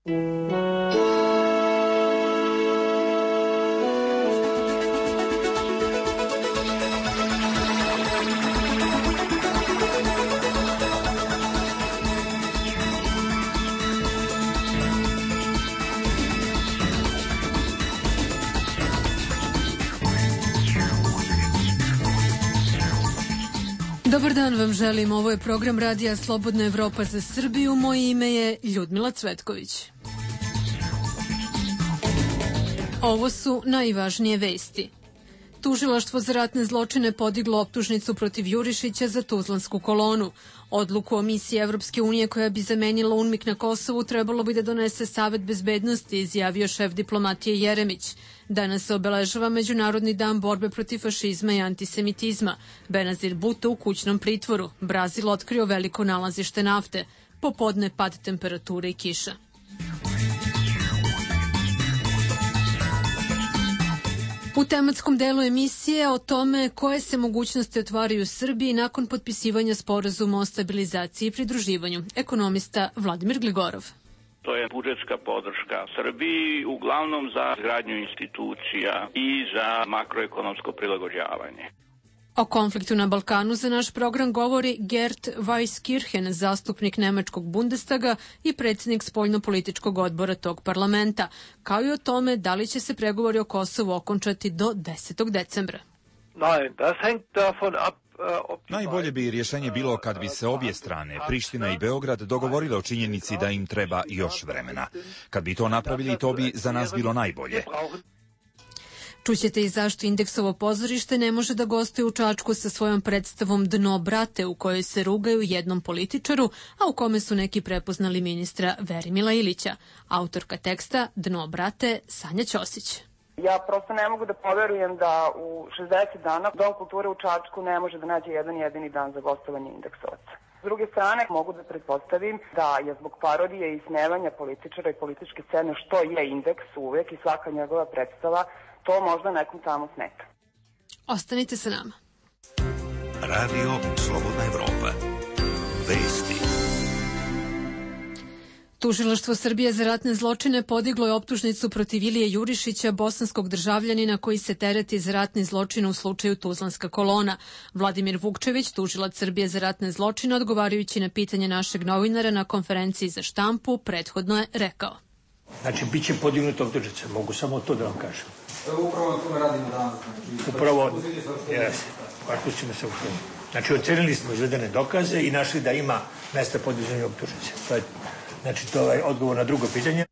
Dobar dan vam želim, ovo je program Radija Slobodna Evropa za Srbiju, moje ime je Ljudmila Cvetković. Ovo su najvažnije vesti. Tužilaštvo za ratne zločine podiglo optužnicu protiv Jurišića za Tuzlansku kolonu. Odluku o misiji Evropske unije koja bi zamenila UNMIK na Kosovu trebalo bi da donese Savet bezbednosti, izjavio šef diplomatije Jeremić. Danas se obeležava Međunarodni dan borbe protiv fašizma i antisemitizma. Benazir Bhutto u kućnom pritvoru. Brazil otkrio veliko nalazište nafte. Popodne pad temperature i kiša. U tematskom delu emisije o tome koje se mogućnosti otvaraju u Srbiji nakon potpisivanja sporazuma o stabilizaciji i pridruživanju. Ekonomista Vladimir Gligorov. To je budžetska podrška Srbiji, uglavnom za izgradnju institucija i za makroekonomsko prilagođavanje. O konfliktu na Balkanu za naš program govori Gert Weiskirchen, zastupnik nemačkog Bundestaga i predsjednik spoljno-političkog odbora tog parlamenta, kao i o tome da li će se pregovori o Kosovu okončati do 10. decembra. Najbolje bi rješenje bilo kad bi se obje strane, Priština i Beograd, dogovorile o činjenici da im treba još vremena. Kad bi to napravili, to bi za nas bilo najbolje. Čućete i zašto Indeksovo pozorište ne može da gostuje u Čačku sa svojom predstavom Dno brate, u kojoj se rugaju jednom političaru, a u kome su neki prepoznali ministra Verimila Ilića. Autorka teksta Dno brate Sanja Ćosić. Ja prosto ne mogu da poverujem da u 60 dana Dom kulture u Čačku ne može da nađe jedan jedini dan za gostovanje Indeksovaca. S druge strane, mogu da pretpostavim da je zbog parodije i smevanja političara i političke scene, što je Indeks uvek i svaka njegova predstava, to možda nekom tamo smeta. Ostanite sa nama. Radio Slobodna Evropa. Vesti. Tužilaštvo Srbije za ratne zločine podiglo je optužnicu protiv Ilije Jurišića, bosanskog državljanina koji se tereti za ratni zločin u slučaju Tuzlanska kolona. Vladimir Vukčević, tužilac Srbije za ratne zločine, odgovarajući na pitanje našeg novinara na konferenciji za štampu, prethodno je rekao. Znači, bit će podignuta optužnica, mogu samo to da vam kažem. Upravo na tome radimo danas. Upravo, pustimo se u to. Znači, ocenili smo izvedene dokaze i našli da ima mesta podizanja optužnice. Znači, to je odgovor na drugo pitanje.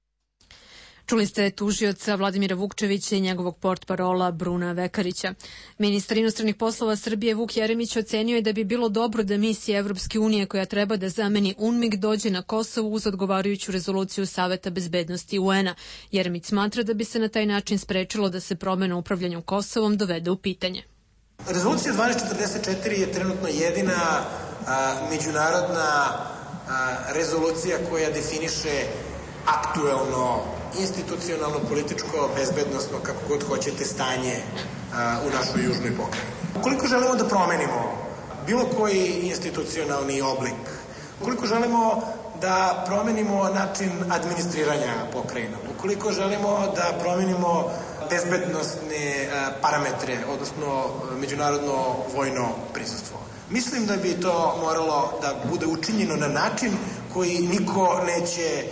Čuli ste tužioca Vladimira Vukčevića i njegovog portparola Bruna Vekarića. Ministar inostranih poslova Srbije Vuk Jeremić ocenio je da bi bilo dobro da misija Evropske unije koja treba da zameni UNMIK dođe na Kosovo uz odgovarajuću rezoluciju Saveta bezbednosti UN-a. Jeremić smatra da bi se na taj način sprečilo da se promena u upravljanju Kosovom dovede u pitanje. Rezolucija 1244 je trenutno jedina međunarodna rezolucija koja definiše aktuelno, institucionalno, političko, bezbednosno, kako god hoćete, stanje u našoj južnoj pokrajini. Ukoliko želimo da promenimo bilo koji institucionalni oblik, ukoliko želimo da promenimo način administriranja pokrajinom, ukoliko želimo da promenimo bezbednosne parametre, odnosno međunarodno vojno prisustvo, mislim da bi to moralo da bude učinjeno na način koji niko neće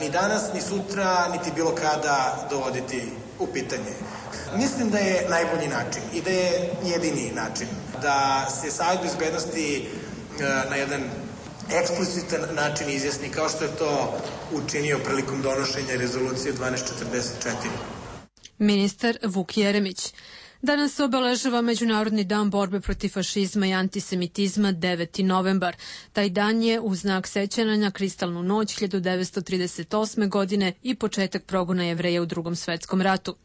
ni danas, ni sutra, niti bilo kada dovoditi u pitanje. Mislim da je najbolji način i da je jedini način da se Savet bezbednosti na jedan eksplicitan način izjasni, kao što je to učinio prilikom donošenja rezolucije 1244. Ministar Vuk Jeremić. Danas se obeležava Međunarodni dan borbe protiv fašizma i antisemitizma 9. novembar. Taj dan je u znak sećanja na kristalnu noć 1938. godine i početak progona Jevreja u Drugom svetskom ratu.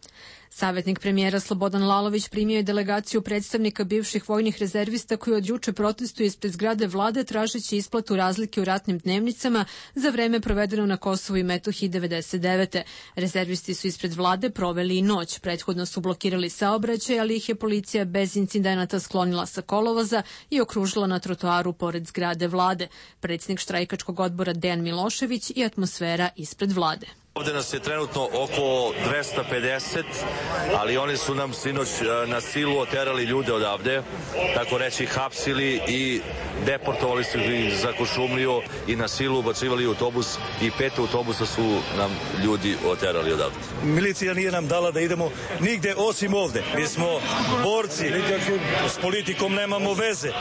Savjetnik premijera Slobodan Lalović primio je delegaciju predstavnika bivših vojnih rezervista koji od juče protestuju ispred zgrade vlade tražeći isplatu razlike u ratnim dnevnicama za vreme provedeno na Kosovu i Metohiji 99. Rezervisti su ispred vlade proveli i noć. Prethodno su blokirali saobraćaj, ali ih je policija bez incidenata sklonila sa kolovoza i okružila na trotoaru pored zgrade vlade. Predsjednik štrajkačkog odbora Dejan Milošević i atmosfera ispred vlade. Ovde nas je trenutno oko 250, ali oni su nam sinoć na silu oterali ljude odavde, tako reći hapsili i deportovali su ih za Kuršumliju i na silu ubacivali u autobus i 5 autobusa su nam ljudi oterali odavde. Milicija nije nam dala da idemo nigde osim ovde. Mi smo borci, s politikom nemamo veze.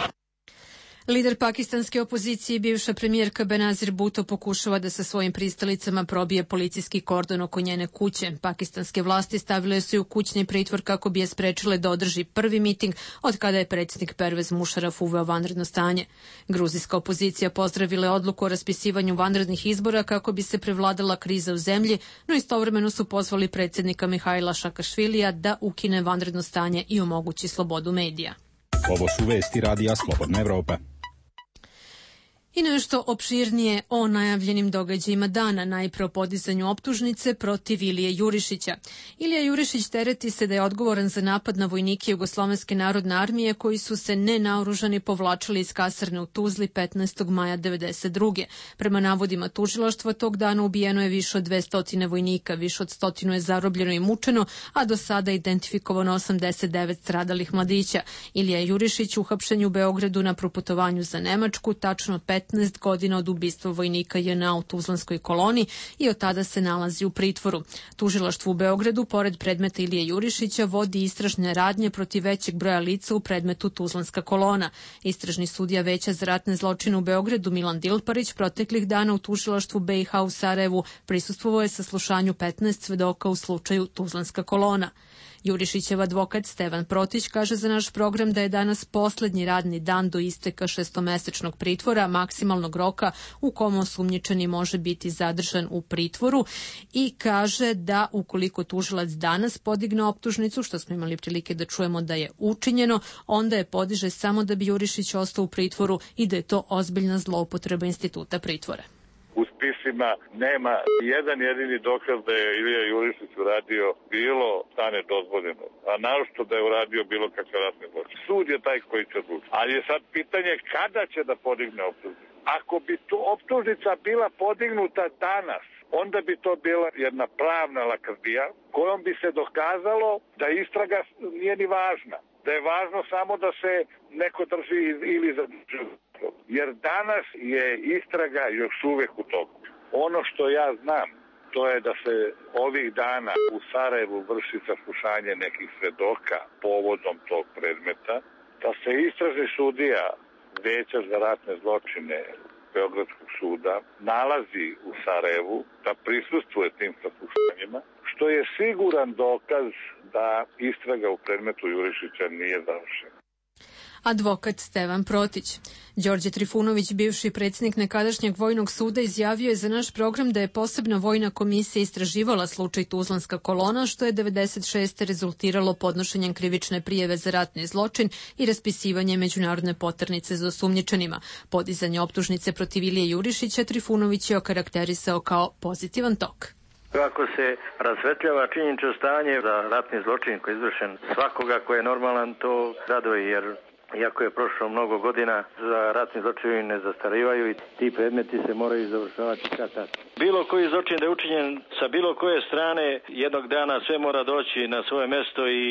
Lider pakistanske opozicije i bivša premijerka Benazir Bhutto pokušava da sa svojim pristalicama probije policijski kordon oko njene kuće. Pakistanske vlasti stavile su ju u kućni pritvor kako bi je sprečile da održi prvi miting od kada je predsjednik Pervez Musharraf uveo vanredno stanje. Gruzijska opozicija pozdravila odluku o raspisivanju vanrednih izbora kako bi se prevladala kriza u zemlji, no istovremeno su pozvali predsjednika Mihaila Šakašvilija da ukine vanredno stanje i omogući slobodu medija. Ovo su vesti Radija Slobodna Evropa. I nešto opširnije o najavljenim događajima dana, najpre o podizanju optužnice protiv Ilije Jurišića. Ilija Jurišić tereti se da je odgovoran za napad na vojnike Jugoslovenske narodne armije koji su se nenaoružani povlačili iz kasarne u Tuzli 15. maja 1992. Prema navodima tužilaštva, tog dana ubijeno je više od 200 vojnika, više od 100 je zarobljeno i mučeno, a do sada identifikovano 89 stradalih mladića. Ilija Jurišić uhapšen u Beogradu na proputovanju za Nemačku, tačno 15 godina od ubistva vojnika JNA u Tuzlanskoj koloni i od tada se nalazi u pritvoru. Tužilaštvo u Beogradu, pored predmeta Ilije Jurišića, vodi istražne radnje protiv većeg broja lica u predmetu Tuzlanska kolona. Istražni sudija Veća za ratne zločine u Beogradu Milan Dilparić proteklih dana u tužilaštvu BiH u Sarajevu prisustvovao je saslušanju 15 svedoka u slučaju Tuzlanska kolona. Jurišićev advokat Stevan Protić kaže za naš program da je danas poslednji radni dan do isteka 6-mesečnog pritvora, maksimalnog roka u kom osumnjičeni može biti zadržan u pritvoru, i kaže da ukoliko tužilac danas podigne optužnicu, što smo imali prilike da čujemo da je učinjeno, onda je podiže samo da bi Jurišić ostao u pritvoru i da je to ozbiljna zloupotreba instituta pritvora. U spisima nema jedan jedini dokaz da je Ilija Jurišić uradio bilo šta nedozvoljeno, a naročito da je uradio bilo kakav ratni zločin. Sud je taj koji će odlučiti. Ali je sad pitanje kada će da podigne optužnicu. Ako bi tu optužnica bila podignuta danas, onda bi to bila jedna pravna lakrdija kojom bi se dokazalo da istraga nije ni važna. Da je važno samo da se neko drži ili zadrži. Jer danas je istraga još uvek u toku. Ono što ja znam, to je da se ovih dana u Sarajevu vrši saslušanje nekih svedoka povodom tog predmeta, da se istražni sudija Veća za ratne zločine Beogradskog suda nalazi u Sarajevu, da prisustvuje tim saslušanjima, što je siguran dokaz da istraga u predmetu Jurišića nije završena. Advokat Stevan Protić. Đorđe Trifunović, bivši predsjednik nekadašnjeg vojnog suda, izjavio je za naš program da je posebna vojna komisija istraživala slučaj Tuzlanska kolona, što je 96. rezultiralo podnošenjem krivične prijeve za ratni zločin i raspisivanje međunarodne poternice za osumnjičenima. Podizanje optužnice protiv Ilije Jurišića Trifunović je okarakterisao kao pozitivan tok. Kako se rasvetljava činjenično stanje da ratni zločin koji je izvršen svakoga ko je normalan, to raduje, jer iako je prošlo mnogo godina, za ratni zločini ne zastarivaju i ti predmeti se moraju završavati kad-tad. Bilo koji zločin da je učinjen sa bilo koje strane, jednog dana sve mora doći na svoje mesto i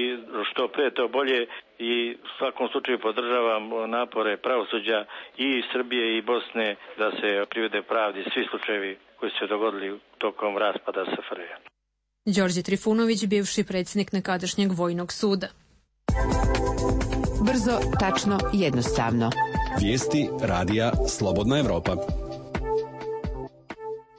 što pre to bolje, i u svakom slučaju podržavam napore pravosuđa i Srbije i Bosne da se privede pravdi svi slučajevi koji su se dogodili tokom raspada SFRJ. Đorđe Trifunović, bivši predsjednik nekadašnjeg vojnog suda. Brzo, tačno, jednostavno. Vijesti Radija Slobodna Evropa.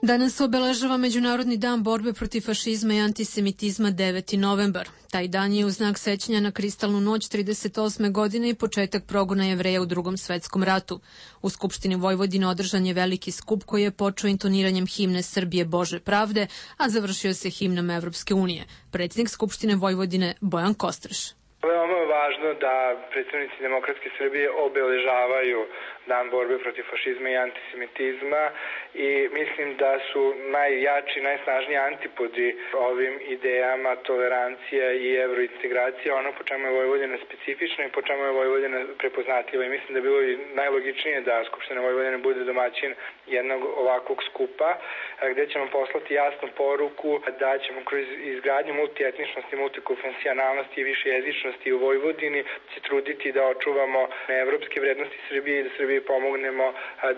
Danas obeležava Međunarodni dan borbe protiv fašizma i antisemitizma 9. novembar. Taj dan je u znak sećanja na kristalnu noć 38. godine i početak progona Jevreja u Drugom svetskom ratu. U Skupštini Vojvodine održan je veliki skup koji je počeo intoniranjem himne Srbije Bože pravde, a završio se himnom Evropske unije. Predsjednik Skupštine Vojvodine Bojan Kostreš. Veoma je važno da predstavnici Demokratske Srbije obeležavaju Dan borbe protiv fašizma i antisemitizma i mislim da su najjači, najsnažniji antipodi ovim idejama tolerancija i evrointegracija, ono po čemu je Vojvodina specifična i po čemu je Vojvodina prepoznatljiva. I mislim da je bilo i najlogičnije da Skupština Vojvodine bude domaćin jednog ovakvog skupa, gde ćemo poslati jasnu poruku da ćemo kroz izgradnju multietničnosti, multikonfesionalnosti i višejezičnosti u Vojvodini se truditi da očuvamo evropske vrednosti Srbije i da Srbiji pomognemo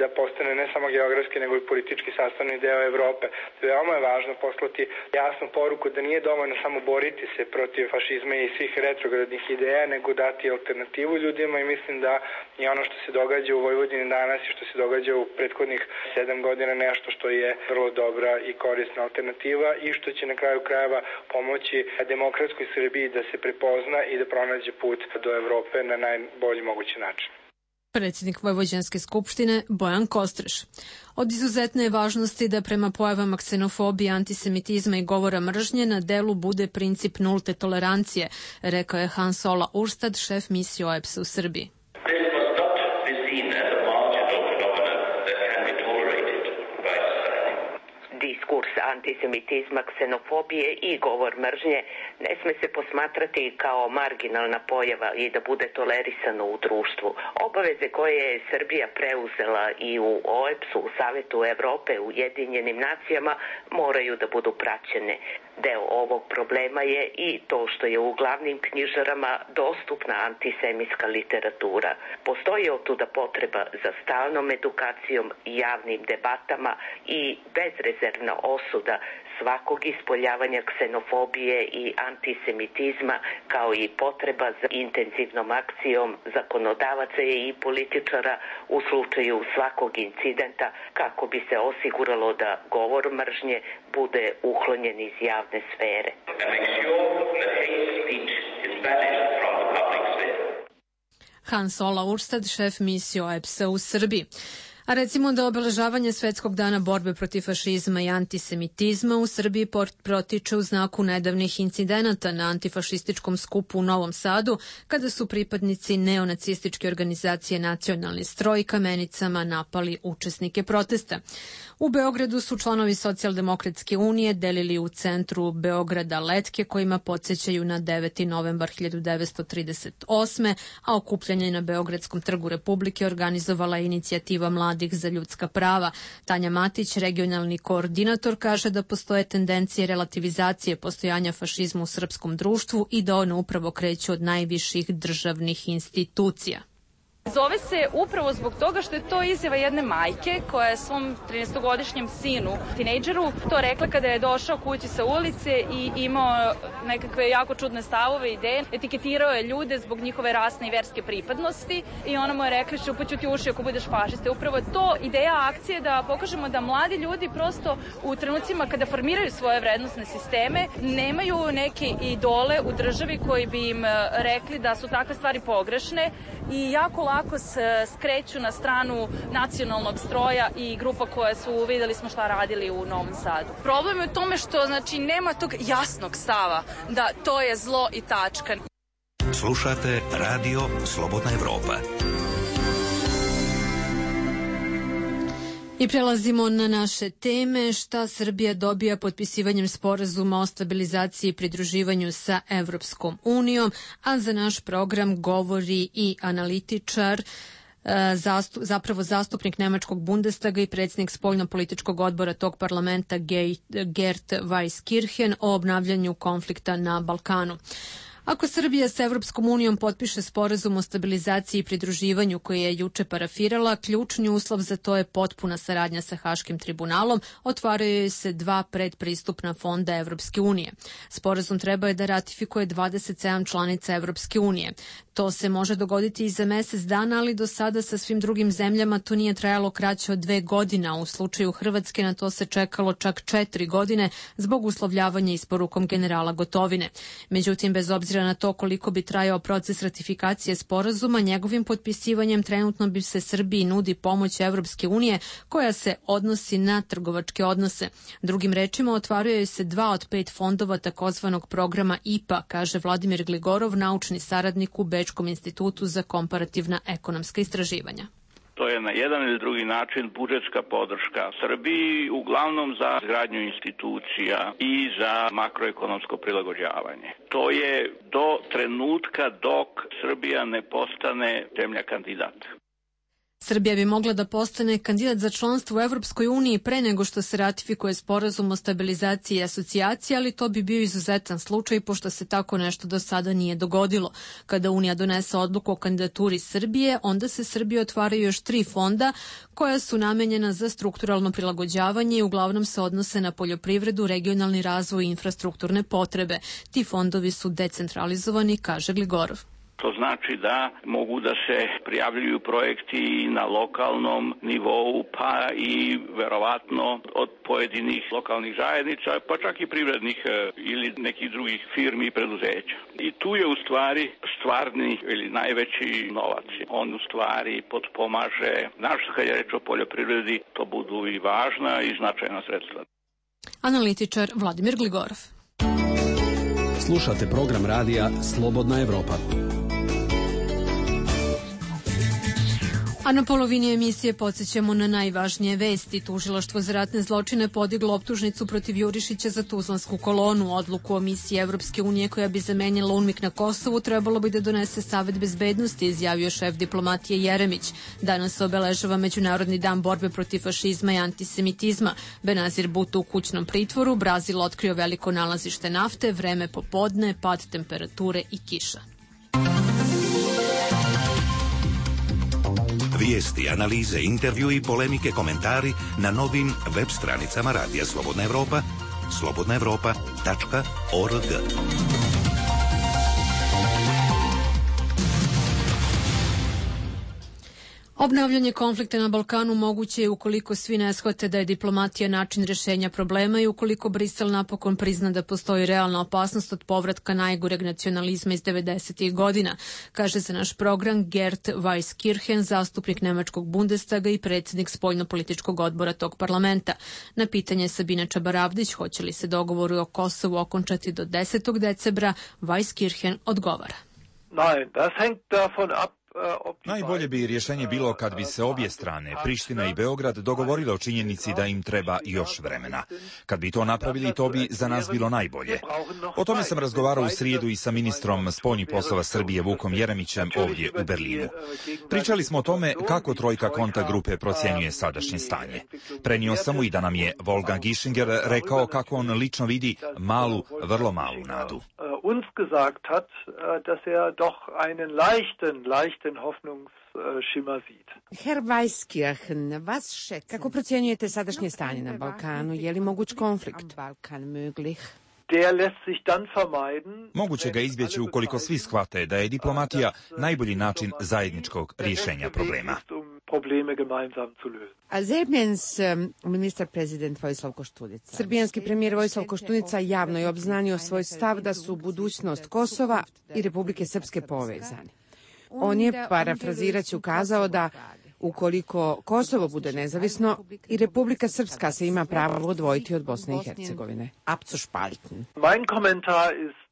da postane ne samo geografski nego i politički sastavni deo Evrope. Veoma je važno poslati jasnu poruku da nije dovoljno samo boriti se protiv fašizma i svih retrogradnih ideja, nego dati alternativu ljudima i mislim da je ono što se događa u Vojvodini danas i što se događa u prethodnih 7 godina nešto što je vrlo dobra i korisna alternativa i što će na kraju krajeva pomoći demokratskoj Srbiji da se prepozna i da pronađe put do Evrope na najbolji mogući način. Predsjednik Vojvođanske skupštine Bojan Kostreš. Od izuzetne je važnosti da prema pojavama ksenofobije, antisemitizma i govora mržnje na delu bude princip nulte tolerancije, rekao je Hans Ola Urstad, šef misije OEBS-a u Srbiji. Diskurs antisemitizma, ksenofobije i govor mržnje ne sme se posmatrati kao marginalna pojava i da bude tolerisano u društvu. Obaveze koje je Srbija preuzela i u OEBS-u, u Savetu Evrope, u Ujedinjenim nacijama moraju da budu praćene. Deo ovog problema je i to što je u glavnim knjižarama dostupna antisemitska literatura. Postoji otuda potreba za stalnom edukacijom, javnim debatama i bezrezervna osuda svakog ispoljavanja ksenofobije i antisemitizma, kao i potreba za intenzivnom akcijom zakonodavaca i političara u slučaju svakog incidenta kako bi se osiguralo da govor mržnje bude uklonjen iz javne sfere. Hans Ola Urstad, šef misije OEBS-a u Srbiji. A recimo da obeležavanje Svetskog dana borbe protiv fašizma i antisemitizma u Srbiji protiče u znaku nedavnih incidenata na antifašističkom skupu u Novom Sadu, kada su pripadnici neonacističke organizacije Nacionalni stroj kamenicama napali učesnike protesta. U Beogradu su članovi Socijaldemokratske unije delili u centru Beograda letke kojima podsjećaju na 9. novembar 1938. a okupljanje na Beogradskom trgu Republike organizovala je inicijativa mladih za ljudska prava. Tanja Matić, regionalni koordinator, kaže da postoje tendencije relativizacije postojanja fašizma u srpskom društvu i da one upravo kreću od najviših državnih institucija. Zove se upravo zbog toga što je to izjava jedne majke koja je svom 13-godišnjem sinu, tinejdžeru, to rekla kada je došao kući sa ulice i imao nekakve jako čudne stavove i ideje. Etiketirao je ljude zbog njihove rasne i verske pripadnosti i ona mu je rekla šupaću ti uši ako budeš fašista. Upravo je to ideja akcije da pokažemo da mladi ljudi prosto u trenucima kada formiraju svoje vrednosne sisteme nemaju neke idole u državi koji bi im rekli da su takve stvari pogrešne i jako lako se skreću na stranu nacionalnog stroja i grupa koje su, videli smo šta radili u Novom Sadu. Problem je u tome što nema tog jasnog stava da to je zlo i tačka. Slušate Radio Slobodna Evropa. I prelazimo na naše teme. Šta Srbija dobija potpisivanjem sporazuma o stabilizaciji i pridruživanju sa Evropskom unijom, a za naš program govori i analitičar, zapravo zastupnik Nemačkog Bundestaga i predsjednik spoljno-političkog odbora tog parlamenta Gert Weiskirchen o obnavljanju konflikta na Balkanu. Ako Srbija sa Evropskom unijom potpiše sporazum o stabilizaciji i pridruživanju koji je juče parafirala, ključni uslov za to je potpuna saradnja sa Haškim tribunalom, otvaraju se 2 predpristupna fonda Evropske unije. Sporazum treba je da ratifikuje 27 članica Evropske unije. To se može dogoditi i za mesec dana, ali do sada sa svim drugim zemljama to nije trajalo kraće od 2 godine. U slučaju Hrvatske na to se čekalo čak 4 godine zbog uslovljavanja isporukom generala Gotovine. Međutim, bez obzira na to koliko bi trajao proces ratifikacije sporazuma, njegovim potpisivanjem trenutno bi se Srbiji nudi pomoć Evropske unije koja se odnosi na trgovačke odnose. Drugim rečima, otvaraju se 2 od 5 fondova takozvanog programa IPA, kaže Vladimir Gligorov, naučni saradnik u Bečkom institutu za komparativna ekonomska istraživanja. To je na jedan ili drugi način budžetska podrška Srbiji, uglavnom za izgradnju institucija i za makroekonomsko prilagođavanje. To je do trenutka dok Srbija ne postane zemlja kandidat. Srbija bi mogla da postane kandidat za članstvo u Evropskoj uniji pre nego što se ratifikuje sporazum o stabilizaciji i asocijaciji, ali to bi bio izuzetan slučaj pošto se tako nešto do sada nije dogodilo. Kada Unija donese odluku o kandidaturi Srbije, onda se Srbiji otvaraju još 3 fonda koja su namenjena za strukturalno prilagođavanje i uglavnom se odnose na poljoprivredu, regionalni razvoj i infrastrukturne potrebe. Ti fondovi su decentralizovani, kaže Gligorov. To znači da mogu da se prijavljuju projekti na lokalnom nivou, pa i verovatno od pojedinih lokalnih zajednica, pa čak i privrednih ili nekih drugih firmi i preduzeća. I tu je u stvari stvarni ili najveći novac. On u stvari potpomaže, našto kad je reč o poljoprivredi, to budu i važna i značajna sredstva. Analitičar Vladimir Gligorov. Slušate program radija Slobodna Evropa. A na polovini emisije podsjećamo na najvažnije vesti. Tužilaštvo za ratne zločine podiglo optužnicu protiv Jurišića za Tuzlansku kolonu. Odluku o misiji Evropske unije koja bi zamenila UNMIK na Kosovu trebalo bi da donese Savet bezbednosti, izjavio šef diplomatije Jeremić. Danas se obeležava Međunarodni dan borbe protiv fašizma i antisemitizma. Benazir Bhutto u kućnom pritvoru, Brazil otkrio veliko nalazište nafte, vreme popodne, pad temperature i kiša. Vijesti, analize, intervju i polemike, komentari na novim web stranicama Radija Slobodna Evropa, slobodnaevropa.org. Obnavljanje konflikta na Balkanu moguće je ukoliko svi ne shvate da je diplomatija način rešenja problema i ukoliko Brisel napokon prizna da postoji realna opasnost od povratka najgoreg nacionalizma iz 90. godina, kaže za naš program Gert Weiskirchen, zastupnik Nemačkog Bundestaga i predsjednik spoljno-političkog odbora tog parlamenta. Na pitanje Sabine Čabaravdić hoće li se dogovori o Kosovu okončati do 10. decembra, Weiskirchen odgovara. Nein, das hängt davon ab. Najbolje bi rješenje bilo kad bi se obje strane, Priština i Beograd, dogovorile o činjenici da im treba još vremena. Kad bi to napravili, to bi za nas bilo najbolje. O tome sam razgovarao u srijedu i sa ministrom spoljnih poslova Srbije Vukom Jeremićem ovdje u Berlinu. Pričali smo o tome kako trojka kontakt grupe procjenjuje sadašnje stanje. Prenio sam mu i da nam je Wolfgang Ischinger rekao kako on lično vidi malu, vrlo malu nadu. Uns gesagt hat, dass doch einen leichten Hoffnungsschimmer sieht. Herr Weiskirchen, was schätzen? Kako procjenjujete sadašnje stanje na Balkanu? Je li moguć konflikt? Balkan möglich? Der lässt sich dann vermeiden. Moguće ga izbjeći ukoliko svi shvate da je diplomatija najbolji način zajedničkog rješenja problema. Probleme gemeinsam zu lösen. Serbijans ministar-prezident Vojislav Koštunica. Srbijanski premijer Vojislav Koštunica javno je obznanio svoj stav da su budućnost Kosova i Republike Srpske povezani. On je, parafrazirajući, ukazao da ukoliko Kosovo bude nezavisno, i Republika Srpska se ima pravo odvojiti od Bosne i Hercegovine. Abzuspalten. Mein Kommentar ist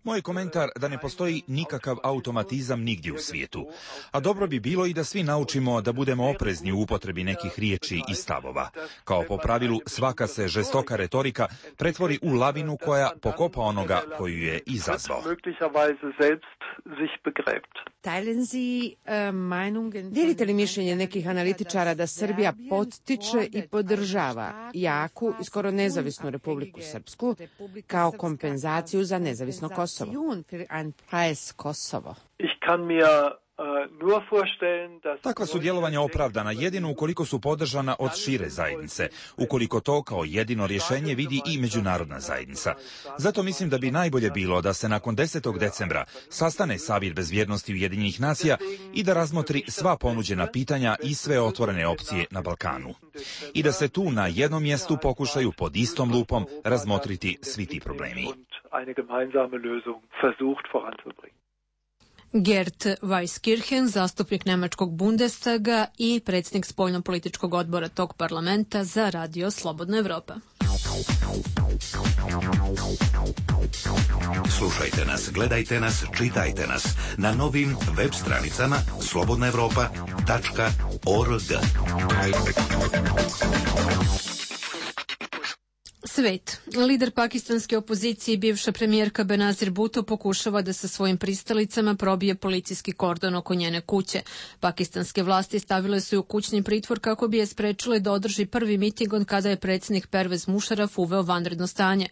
Moj komentar da ne postoji nikakav automatizam nigdje u svijetu, a dobro bi bilo i da svi naučimo da budemo oprezni u upotrebi nekih riječi i stavova. Kao po pravilu, svaka se žestoka retorika pretvori u lavinu koja pokopa onoga koju je izazvao. Dijelite li mišljenje nekih analitičara da Srbija pottiče i podržava jaku i skoro nezavisnu Republiku Srpsku kao kompenzaciju za nezavisno Kosovo? Takva su djelovanja opravdana jedino ukoliko su podržana od šire zajednice, ukoliko to kao jedino rješenje vidi i međunarodna zajednica. Zato mislim da bi najbolje bilo da se nakon 10. decembra sastane Savjet bezbjednosti Ujedinjenih nacija i da razmotri sva ponuđena pitanja i sve otvorene opcije na Balkanu. I da se tu na jednom mjestu pokušaju pod istom lupom razmotriti svi ti problemi. Gert Weiskirchen, zastupnik Nemačkog Bundestaga i predsjednik spoljnopolitičkog odbora tog parlamenta za Radio Slobodna Evropa. Slušajte nas, gledajte nas, čitajte nas na novim web stranicama slobodnaevropa.org. Svet. Lider pakistanske opozicije i bivša premijerka Benazir Bhutto pokušava da sa svojim pristalicama probije policijski kordon oko njene kuće. Pakistanske vlasti stavile su ju u kućni pritvor kako bi je sprečile da održi prvi miting od kada je predsjednik Pervez Musharraf uveo vanredno stanje.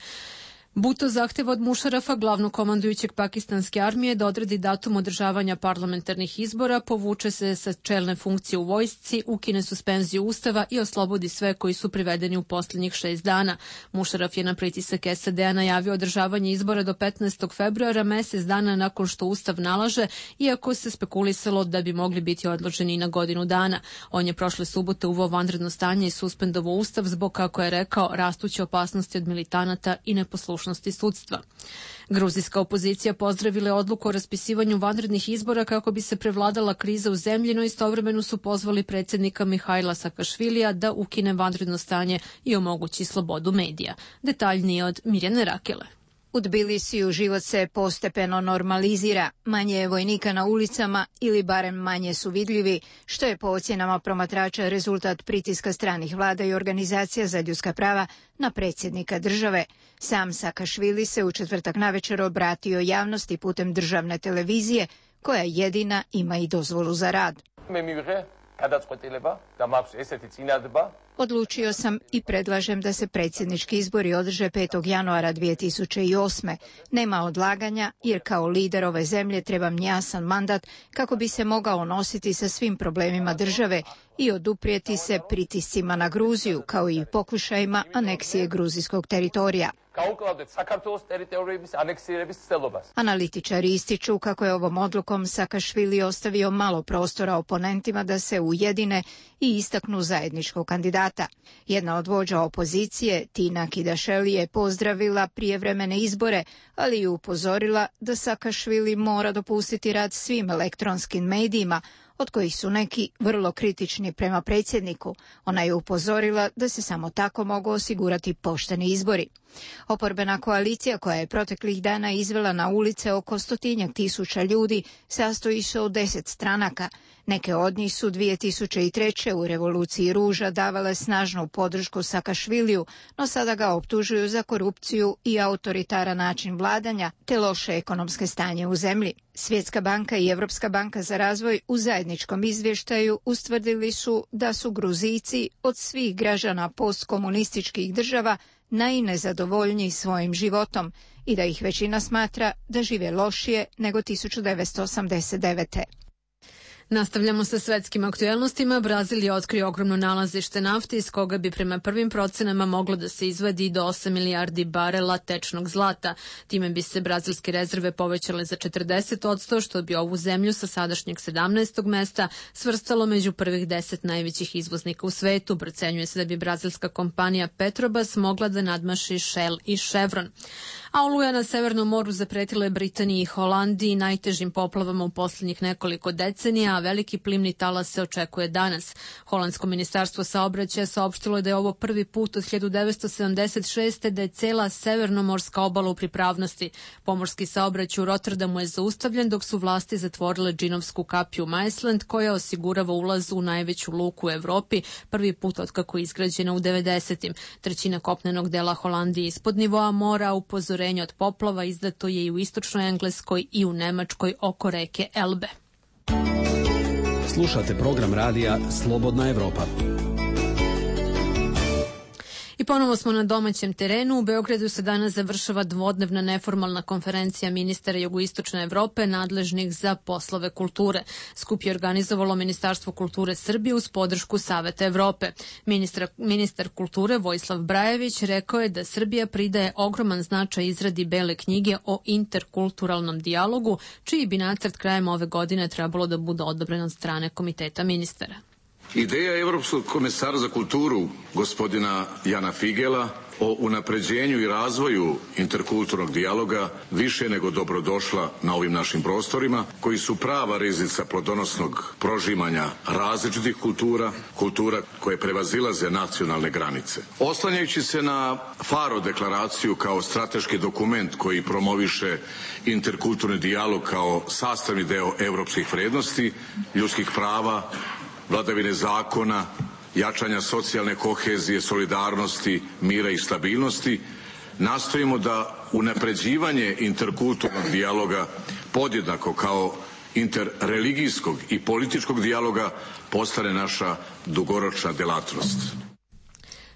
Bhutto zahteva od Mušarafa, glavnog komandujućeg pakistanske armije, da odredi datum održavanja parlamentarnih izbora, povuče se sa čelne funkcije u vojsci, ukine suspenziju ustava i oslobodi sve koji su privedeni u posljednjih 6 dana. Mušaraf je na pritisak SAD-a najavio održavanje izbora do 15. februara, mjesec dana nakon što ustav nalaže, iako se spekulisalo da bi mogli biti odloženi na godinu dana. On je prošle subote uveo vanredno stanje i suspendovao ustav zbog, kako je rekao, rastuće opasnosti od militanata i neposlušnosti sudstva. Gruzijska opozicija pozdravila je odluku o raspisivanju vanrednih izbora kako bi se prevladala kriza u zemlji, no istovremeno su pozvali predsjednika Mihajla Sakašvilija da ukine vanredno stanje i omogući slobodu medija. Detaljnije od Mirjane Rakele. U Tbilisiju život se postepeno normalizira, manje je vojnika na ulicama ili barem manje su vidljivi, što je po ocjenama promatrača rezultat pritiska stranih vlada i organizacija za ljudska prava na predsjednika države. Sam Sakašvili se u četvrtak navečer obratio javnosti putem državne televizije, koja jedina ima i dozvolu za rad. Odlučio sam i predlažem da se predsjednički izbori održe 5. januara 2008. Nema odlaganja jer kao lider ove zemlje trebam jasan mandat kako bi se mogao nositi sa svim problemima države i oduprijeti se pritiscima na Gruziju kao i pokušajima aneksije gruzijskog teritorija. Analitičari ističu kako je ovom odlukom Sakašvili ostavio malo prostora oponentima da se ujedine i istaknu zajedničkog kandidata. Jedna od vođa opozicije, Tina Kidašeli, je pozdravila prijevremene izbore, ali i upozorila da Sakašvili mora dopustiti rad svim elektronskim medijima, od kojih su neki vrlo kritični prema predsjedniku. Ona je upozorila da se samo tako mogu osigurati pošteni izbori. Oporbena koalicija, koja je proteklih dana izvela na ulice oko 100.000 ljudi, sastoji se od 10 stranaka. Neke od njih su 2003. u revoluciji ruža davale snažnu podršku Sakašviliju, no sada ga optužuju za korupciju i autoritaran način vladanja te loše ekonomske stanje u zemlji. Svjetska banka i Europska banka za razvoj u zajedničkom izvještaju ustvrdili su da su Gruzijci od svih građana postkomunističkih država najnezadovoljniji svojim životom i da ih većina smatra da žive lošije nego 1989. Nastavljamo sa svetskim aktuelnostima. Brazil je otkrio ogromno nalazište nafte iz koga bi prema prvim procenama moglo da se izvadi do 8 milijardi barela tečnog zlata. Time bi se brazilske rezerve povećale za 40%, što bi ovu zemlju sa sadašnjeg 17. mesta svrstalo među prvih 10 najvećih izvoznika u svetu. Procenjuje se da bi brazilska kompanija Petrobras mogla da nadmaši Shell i Chevron. A oluja na Severnom moru zapretila je Britaniji i Holandiji najtežim poplavama u posljednjih nekoliko decenija, a veliki plimni talas se očekuje danas. Holandsko ministarstvo saobraćaja saopštilo je da je ovo prvi put od 1976. da je cela severnomorska obala u pripravnosti. Pomorski saobraćaj u Rotterdamu je zaustavljen dok su vlasti zatvorile džinovsku kapiju Maesland, koja osigurava ulaz u najveću luku u Evropi, prvi put otkako je izgrađena u 90. Trećina kopnenog dela Holandije ispod nivoa mora, upozorenje od poplava izdato je i u istočnoj Engleskoj i u Nemačkoj oko reke Elbe. Slušate program radija Slobodna Evropa. I ponovo smo na domaćem terenu. U Beogradu se danas završava dvodnevna neformalna konferencija ministara Jugoistočne Evrope nadležnih za poslove kulture. Skup je organizovalo Ministarstvo kulture Srbije uz podršku Saveta Evrope. Ministar kulture Vojislav Brajević rekao je da Srbija pridaje ogroman značaj izradi Bele knjige o interkulturalnom dijalogu, čiji bi nacrt krajem ove godine trebalo da bude odobren od strane Komiteta ministara. Ideja Evropskog komesara za kulturu, gospodina Jana Figela, o unapređenju i razvoju interkulturnog dijaloga više nego dobrodošla na ovim našim prostorima, koji su prava riznica plodonosnog prožimanja različitih kultura, kultura koje prevazilaze nacionalne granice. Oslanjajući se na Faro deklaraciju kao strateški dokument koji promoviše interkulturni dijalog kao sastavni deo evropskih vrednosti, ljudskih prava, vladavine zakona, jačanja socijalne kohezije, solidarnosti, mira i stabilnosti, nastojimo da unapređivanje interkulturnog dijaloga podjednako kao interreligijskog i političkog dijaloga postane naša dugoročna delatnost.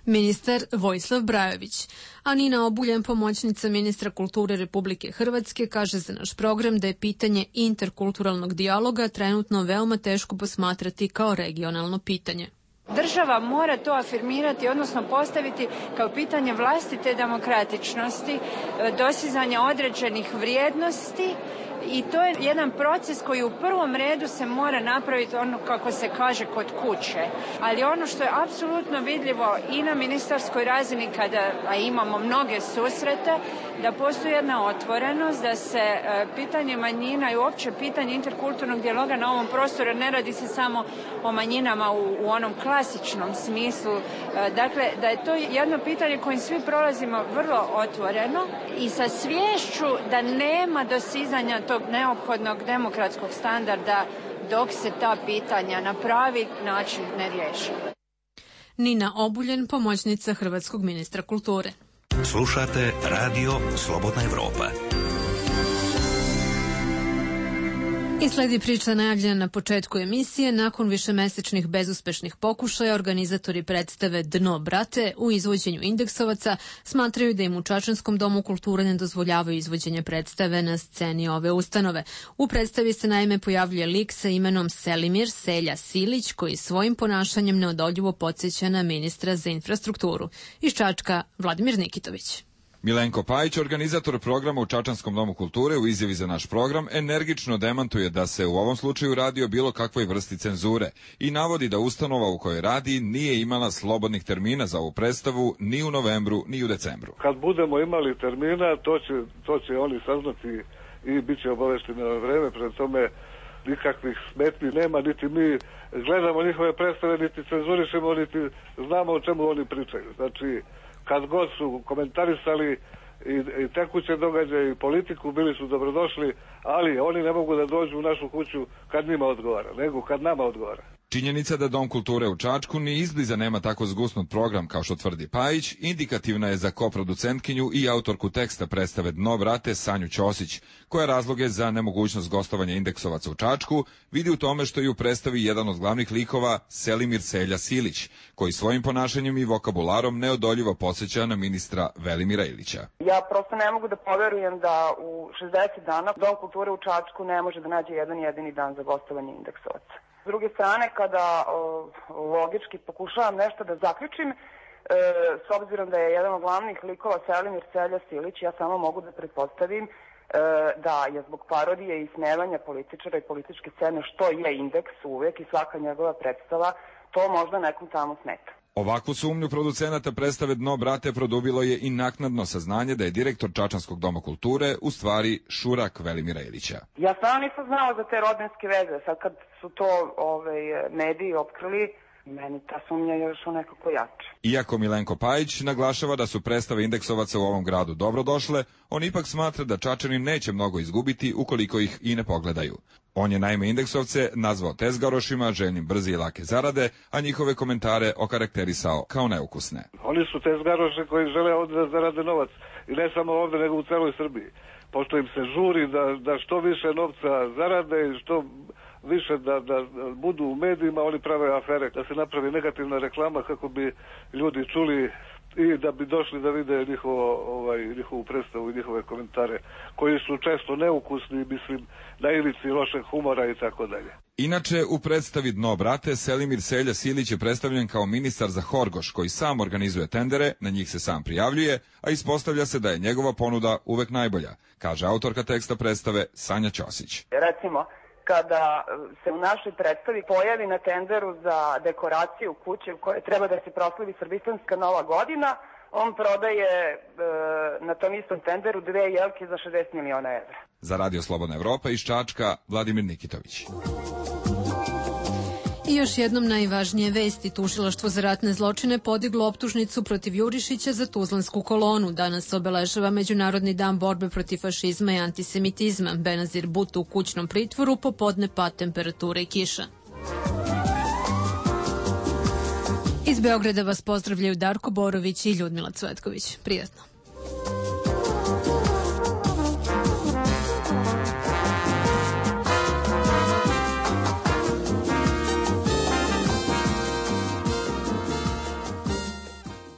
Ministar Vojislav Brajević. A Nina Obuljen, pomoćnica ministra kulture Republike Hrvatske, kaže za naš program da je pitanje interkulturalnog dijaloga trenutno veoma teško posmatrati kao regionalno pitanje. Država mora to afirmirati, odnosno postaviti kao pitanje vlastite demokratičnosti, dostizanja određenih vrijednosti. I to je jedan proces koji u prvom redu se mora napraviti ono kako se kaže kod kuće. Ali ono što je apsolutno vidljivo i na ministarskoj razini a imamo mnoge susrete, da postoji jedna otvorenost, da se pitanje manjina i uopće pitanje interkulturnog dijaloga na ovom prostoru, ne radi se samo o manjinama u onom klasičnom smislu. Dakle, da je to jedno pitanje kojim svi prolazimo vrlo otvoreno i sa sviješću da nema dosizanja tog neophodnog demokratskog standarda dok se ta pitanja na pravi način ne riješe. Nina Obuljen, pomoćnica hrvatskog ministra kulture. Slušate Radio Slobodna Evropa. I sledi priča najavljena na početku emisije. Nakon višemesečnih bezuspešnih pokušaja, organizatori predstave Dno, brate, u izvođenju indeksovaca smatraju da im u Čačanskom domu kulture ne dozvoljavaju izvođenje predstave na sceni ove ustanove. U predstavi se naime pojavljuje lik sa imenom Selimir Selja Silić, koji svojim ponašanjem neodoljivo podsjeća na ministra za infrastrukturu. Iz Čačka, Vladimir Nikitović. Milenko Pajić, organizator programa u Čačanskom domu kulture, u izjavi za naš program energično demantuje da se u ovom slučaju radi o bilo kakvoj vrsti cenzure i navodi da ustanova u kojoj radi nije imala slobodnih termina za ovu predstavu ni u novembru ni u decembru. Kad budemo imali termina, to će oni saznati i bit će obavešteni na vreme, pred tome nikakvih smetnji nema, niti mi gledamo njihove predstave, niti cenzurišemo, niti znamo o čemu oni pričaju. Znači, kad god su komentarisali i tekuće događaje i politiku, bili su dobrodošli, ali oni ne mogu da dođu u našu kuću kad njima odgovara, nego kad nama odgovara. Činjenica da Dom kulture u Čačku ni izbliza nema tako zgusnut program kao što tvrdi Pajić, indikativna je za koproducentkinju i autorku teksta predstave Dno, brate, Sanju Ćosić, koja razloge za nemogućnost gostovanja indeksovaca u Čačku vidi u tome što je u predstavi jedan od glavnih likova Selimir Selja Silić, koji svojim ponašanjem i vokabularom neodoljivo podsjeća na ministra Velimira Ilića. Ja prosto ne mogu da poverujem da u 60 dana Dom kulture u Čačku ne može da nađe jedan jedini dan za gostovanje indeksovaca. S druge strane, kada logički pokušavam nešto da zaključim, s obzirom da je jedan od glavnih likova Selimir Selja Silić, ja samo mogu da pretpostavim da je zbog parodije i ismevanja političara i političke scene, što je indeks uvek i svaka njegova predstava, to možda nekom tamo smeta. Ovakvu sumnju producenata predstave Dno, brate, produbilo je i naknadno saznanje da je direktor Čačanskog doma kulture u stvari šurak Velimira Ilića. Ja stvarno nisam znala za te rodbinske veze. Sad kad su to mediji otkrili, meni ta sumnja je još nekako jače. Iako Milenko Pajić naglašava da su predstave indeksovaca u ovom gradu dobrodošle, on ipak smatra da Čačani neće mnogo izgubiti ukoliko ih i ne pogledaju. On je naime indeksovce nazvao tezgarošima, željnim brze i lake zarade, a njihove komentare okarakterisao kao neukusne. Oni su tezgaroši koji žele ovdje da zarade novac. I ne samo ovdje, nego u celoj Srbiji. Pošto im se žuri da što više novca zarade i što više da budu u medijima, oni prave afere, da se napravi negativna reklama kako bi ljudi čuli i da bi došli da vide njihovu predstavu i njihove komentare, koji su često neukusni, mislim, na ivici lošeg humora i tako dalje. Inače, u predstavi Dno brate, Selimir Selja Silić je predstavljen kao ministar za Horgoš, koji sam organizuje tendere, na njih se sam prijavljuje, a ispostavlja se da je njegova ponuda uvek najbolja, kaže autorka teksta predstave Sanja Ćosić. Recimo, kada se u našoj predstavi pojavi na tenderu za dekoraciju kuće u kojoj treba da se proslavi Srbistanska Nova godina, on prodaje na tom istom tenderu 2 jelke za 60 miliona evra. Za Radio Slobodna Evropa iz Čačka, Vladimir Nikitović. I još jednom najvažnije vesti. Tužilaštvo za ratne zločine podiglo optužnicu protiv Jurišića za Tuzlansku kolonu. Danas obeležava Međunarodni dan borbe protiv fašizma i antisemitizma. Benazir Butu u kućnom pritvoru, popodne pad temperature i kiša. Iz Beograda vas pozdravljaju Darko Borović i Ljudmila Cvetković. Prijatno.